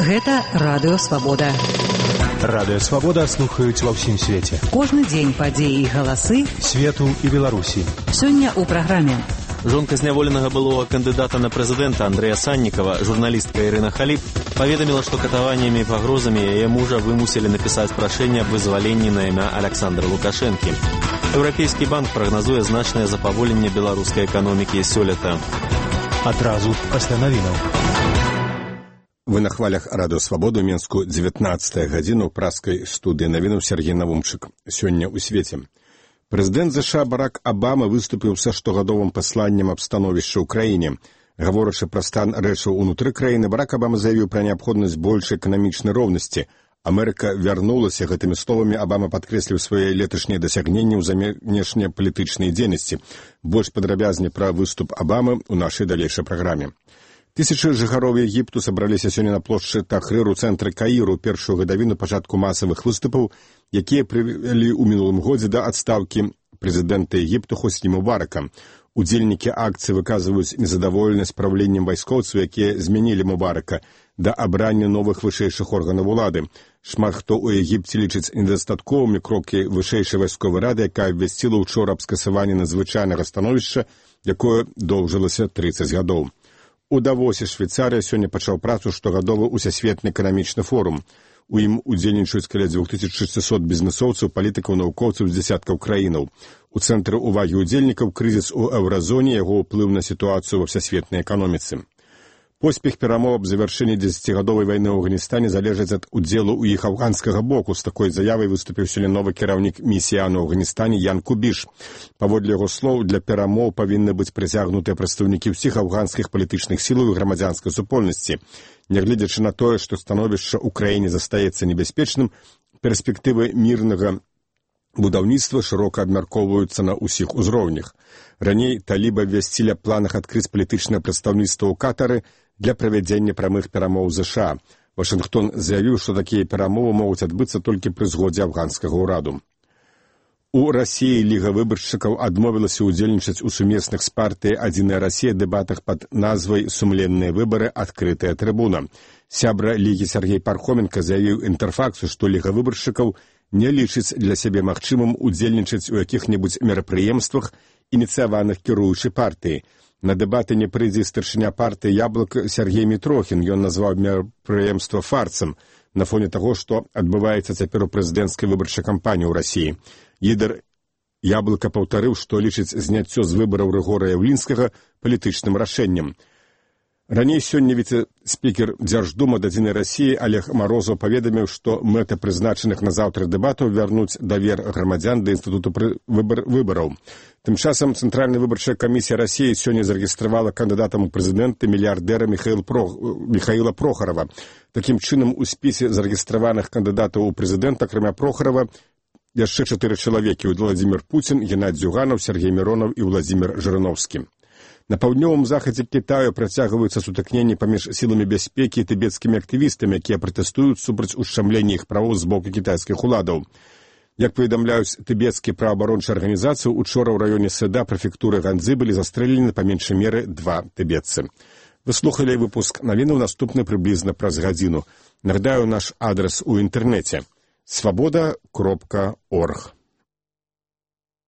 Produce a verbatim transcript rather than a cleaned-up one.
Гэта Радыё Свабода. Радыё Свабода слухаюць ва ўсім свеце. Кожны дзень падзеі і галасы свету і Беларусі. Сёння ў праграме. Жонка зняволенага былога кандыдата на прэзідэнта Андрэя Саннікава, журналістка Ірына Халіп, паведаміла, што катаваннямі і пагрозамі яе мужа вымусілі напісаць прашэнне аб вызваленні на імя Аляксандра Лукашэнкі. Еўрапейскі банк прагназуе значнае запаволенне беларускай эканомікі сёлета. Адразу пасля навінаў. Вы на хвалях Радыё Свабода ў Менску дзевятнаццатая гадзіна ў праскай студыі навінаў Сергей Навумчык. Сёння ў свеце. Прэзідэнт ЗША Барак Абама выступіў са штогадовым пасланнем аб становішча ў краіне. Гаворачы пра стан рэчаў унутры краіны, Барак Абама заявіў пра неабходнасць большай эканамічнай роўнасці. Амерыка вярнулася. Гэтымі словамі Абама падкрэсліў свае леташнія дасягненні ў замежнепалітычнай дзейнасці. Больш падрабязней пра выступ Абамы ў нашай далейшай праграме. Тысячы жыхароў Егіпту сабраліся сёння на плошчы Тахрыр у цэнтры Каіру, першую гадавіну пачатку масавых выступаў, якія прывялі ў мінулым годзе да адстаўкі прэзідэнта Егіпту Хосні Мубарака. Удзельнікі акцыі выказваюць незадаволенасць правленнем вайскоўцаў, якія змянілі Мубарака, да абрання новых вышэйшых органаў улады. Шмат хто ў Егіпце лічыць недастатковымі крокі вышэйшай вайсковай рады, якая абвясціла ўчора аб скасаванні надзвычайнага становішча, якое доўжылася трыццаць гадоў. У Давосе Швейцарія сёння пачаў працу штогадовы усесветны эканамічны форум. У ім удзельнічаюць каля дзвюх тысяч шэсцісот бізнэсоўцаў, палітыкаў, навукоўцаў з дзесяткаў краінаў. У цэнтры ўвагі ўдзельнікаў крызіс у еўразоне, яго ўплыў на сітуацыю ва всесветнай эканоміцы. Поспех перамоў аб завяршэнні дзесяцігадовай вайны ў Афганістане залежыць ад удзелу ў іх афганскага боку. З такой заявай выступіў сёння новы кіраўнік місіі АН у Афганістане Ян Кубіш. Паводле яго слоў, для перамоў павінны быць прыцягнутыя прадстаўнікі ўсіх афганскіх палітычных сілаў і грамадзянскай супольнасці. Нягледзячы на тое, што становішча ў краіне застаецца небяспечным, перспектывы мірнага будаўніцтва шырока абмяркоўваюцца на ўсіх узроўнях. Раней талібы абвясцілі аб планах адкрыць палітычнае прадстаўніцтва ў Катары для правядзення прамых перамоў ЗША. Вашынгтон заявіў, што такія перамовы могуць адбыцца толькі пры згодзе афганскага ўраду. У Расіі Ліга выбаршчыкаў адмовілася ўдзельнічаць у сумесных з партыяй «Адзіная Расія» дэбатах пад назвай «Сумленныя выбары. Адкрытая трыбуна». Сябра Лігі Сергей Пархоменка заявіў Інтэрфаксу, што Ліга выбаршчыкаў не лічыць для сябе магчымым удзельнічаць у якіх-небудзь мерапрыемствах, ініцыяваных кіруючай партыі. На дэбаты не прыйдзе старшыня партыі «Яблык» Сергей Мітрохін. Ён назваў мерапрыемства фарцам на фоне таго, што адбываецца цяпер у прэзідэнцкай выбарчай кампаніі ў Расіі. Лідар «Яблыка» паўтарыў, што лічыць зняццё з выбараў Рыгора Яўлінскага палітычным рашэннем. Раней сёння віцэ-спікер Дзярждумы «Адзінай Расіі» Олег Марозаў паведаміў, што мэта прызначаных на заўтра дэбатаў вярнуць давер грамадзян да інстытуту выбар... выбараў. Тым часам Цэнтральная выбарчая камісія Расіі сёння зарэгістравала кандыдатам у прэзідэнты мільярдэра Михаил Про... Михаила Прохарова. Такім чынам, у спісе зарэгістраваных кандыдатаў у прэзідэнта, акрамя Прохарова, яшчэ чатыры чалавекі: Владзімір Пуцін, Геннадзь Зюганаў, Сергей Міронаў і Владзімір Жырыноўскі. На паўднёвым захадзе Кітаю працягваюцца сутыкненні паміж сіламі бяспекі і тыбецкімі актывістамі, якія пратэстуюць супраць ушчамлення іх правоў з боку кітайскіх уладаў. Як паведамляюць тыбецкія праваабарончыя арганізацыі, учора ў раёне Сэда прэфектуры Ганзы былі застрэлены па меншай меры два тыбетцы. Вы слухалі выпуск навінаў, наступны прыблізна праз гадзіну. Нагадаю наш адрас у інтэрнэце свабода кропка орг.